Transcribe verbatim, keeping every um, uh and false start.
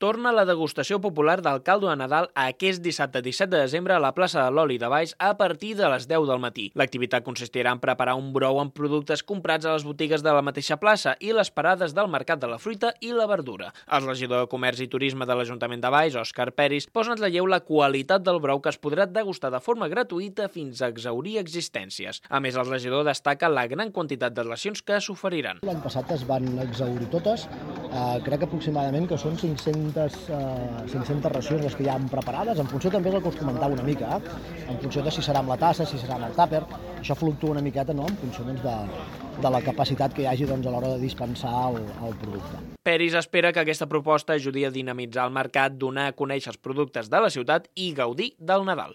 torna la degustació popular del caldo de Nadal aquest dissabte disset de desembre a la plaça de l'Oli de Valls a partir de les deu del matí. L'activitat consistirà en preparar un brou amb productes comprats a les botigues de la mateixa plaça i les parades del Mercat de la Fruita i la Verdura. El regidor de Comerç i Turisme de l'Ajuntament de Valls, Òscar Peris, posa en relleu la qualitat del brou que es podrà degustar de forma gratuïta fins a exhaurir existències. A més, el regidor destaca la gran quantitat de racions que s'oferiran. L'any passat es van exhaurir totes, eh, crec que aproximadament que són cinc-centes, eh, cinc-centes racions les que ja han preparades, en funció també del que us comentava una mica, eh? En funció de si serà amb la tassa, si serà amb el tàper, això fluctua una miqueta, no?, en funció doncs, de, de la capacitat que hi hagi doncs, a l'hora de dispensar el, el producte. Peris espera que aquesta proposta ajudi a dinamitzar el mercat, donar a conèixer els productes de la ciutat i gaudir del Nadal.